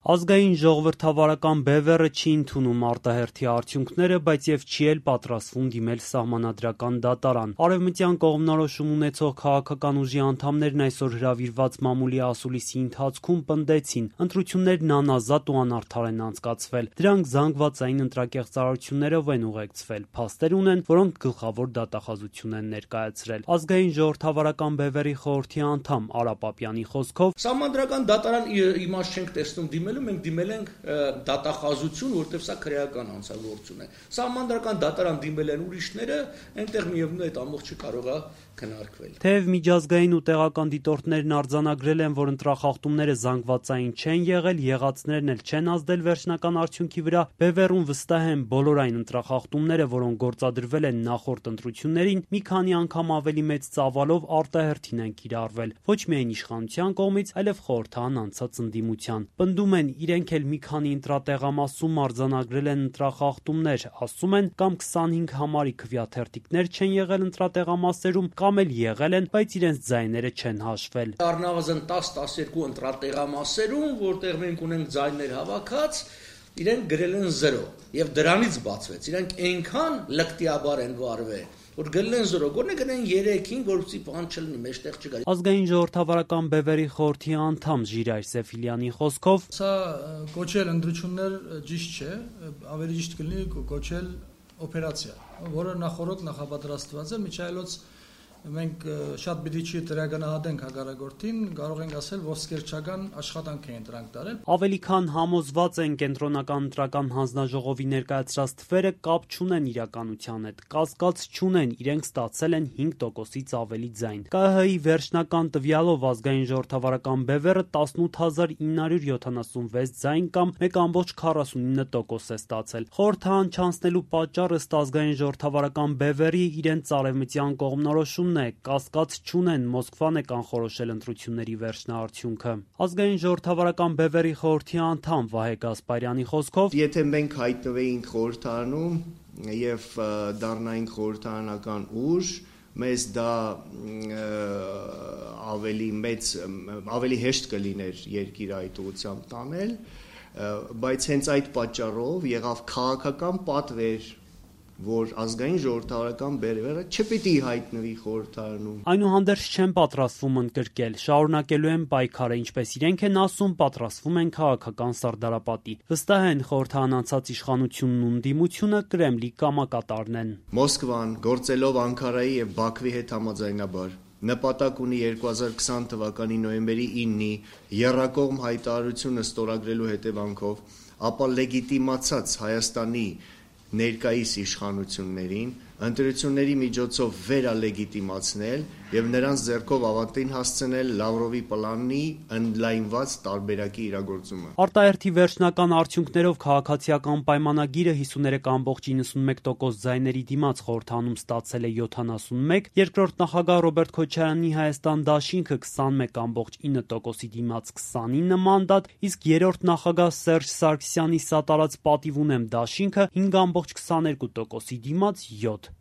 Ազգային ժողովրդավարական բևեռը չի ընդունում արտահերթի արդյունքները, բայց եւ չի էլ պատրաստվում դիմել սահմանադրական դատարան։ Արևմտյան կողմնորոշում ունեցող քաղաքական ուժի անդամներն այսօր հրավիրված մամուլի ասուլիսի ընթացքում պնդեցին՝ ընտրություններն անազատ ու անարդար են անցկացվել։ Դրանք զանգվածային ընտրակեղծարարություններով են ուղեկցվել, փաստեր ունեն, որոնք գլխավոր դատախազություն են ներկայացրել։ Ազգային ժողովրդավարական բևեռի խորհրդի անդամ Արա Պապյանի խոսքով սահմանադրական դատարան իմաստ չենք տեսնում դիմել մենք դիմել ենք դատախազություն, որտեղ սա քրեական հանցագործություն է։ Սահմանադրական դատարան դիմել են ուրիշները, այնտեղ միևնույն է այդ ամբողջը կարող է քննարկվել։ Թեև միջազգային ու տեղական դիտորդներն արձանագրել են, որ ընտրախախտումները զանգվածային չեն եղել, եղածներն էլ չեն ազդել վերջնական արդյունքի վրա, բևեռում վստահ են բոլոր այն ընտրախախտումները, որոնք գործադրվել են նախորդ ընտրություններին, մի քանի անգամ ավելի մեծ ծավալով արտահերթին են կիրառվել, ոչ միայն իշխանության կողմից, այլև խորհրդան անցած ընդդիմության։ Պնդում են, իրենք էլ մի քանի ընտրատեղամասում արձանագրել են ընտրախախտումներ, ասում են, կամ 25 համարի քվեաթերթիկներ չեն եղել ընտրատեղամասերում, կամ էլ եղել են, բայց իրենց ձայները չեն հաշվել։ Առնվազն 10-12 ընտրատեղամասերում, որտեղ մենք ունենք ձայներ հավաքած, իրենք գրել են 0 եւ դրանից բացվեց։ Իրենք այնքան լկտիաբար են վարվել, որ գրել են 0, գոնե գնեն 3-ին, որպեսզի բան չլինի, մեջտեղ չգա։ Ազգային ժողովրդավարական բևեռի խորհրդի անդամ Ժիրայր Սեֆիլյանի խոսքով, սա կոչել ընտրություններ ճիշտ չէ, ավելի ճիշտ կլինի կոչել օպերացիա, որը նախորդ նախապատրաստված է, միջայլոց մենք շատ պիտի չի տրագանահատենք հակառակորդին, կարող ենք ասել ոսկերչական աշխատանք էին դրանք տարել։ Ավելի քան համոզված են կենտրոնական ընտրական հանձնաժողովի ներկայացրած թվերը կապ չունեն իրականության հետ, կասկած չունեն, իրենք ստացել են 5%-ից ավելի ձայն։ ԿՀ-ի վերջնական տվյալով ազգային ժողովրդավարական բևեռը 18976 ձայն կամ 1.49% է ստացել։ Խորհրդան չանցնելու պատճառը ըստ ազգային ժողովրդավարական բևեռի իրենց արևմտյան կողմնորոշում կասկած չունեն, Մոսկվան է կանխորոշել ընտրությունների վերջնաարդյունքը։ Ազգային ժողովրդավարական բևեռի խորհրդի անդամ Վահե Գասպարյանի խոսքով, եթե մենք հայտնվեինք խորհրդարանում եւ դառնայինք խորհրդարանական ուժ, մեզ դա ավելի հեշտ կլիներ երկիրը այդ ուղղությամբ տանել, բայց հենց այդ պատճառով եղավ քաղաքական պատվեր, որ ազգային ժողովրդավարական բևեռը չպիտի հայտնվի խորհրդարանում։ Այնուհանդերձ չեն պատրաստվում ընդգրկել, շարունակելու են պայքարը, ինչպես իրենք են ասում, պատրաստվում են քաղաքական սարդարապատի։ Վստահ են խորհրդան անցած իշխանությունն ու ընդդիմությունը Կրեմլի կամակատարն են։ Մոսկվան գործելով Անկարայի եւ Բաքվի հետ համաձայնաբար նպատակ ունի 2020 թվականի նոյեմբերի 9-ի եռակողմ հայտարարությունը ստորագրելու հետևանքով, ապա լեգիտիմացած Հայաստանի ներկայիս իշխանություններին ընտրությունների միջոցով վերալեգիտիմացնել եւ նրանց ձեռքով ավարտին հասցնել Լավրովի պլանի ընդլայնված տարբերակի իրագործումը։ Արտահերթի վերջնական արդյունքներով քաղաքացիական պայմանագիրը 53.91% ձայների դիմաց խորհրդանում ստացել է 71, երկրորդ նախագահ Ռոբերտ Քոչարյանի Հայաստան դաշինքը 21.9%-ի դիմաց 29 մանդատ, իսկ երրորդ նախագահ Սերժ Սարգսյանի սատարած պատիվ ունեմ դաշինքը 5.22%-ի դիմաց 7։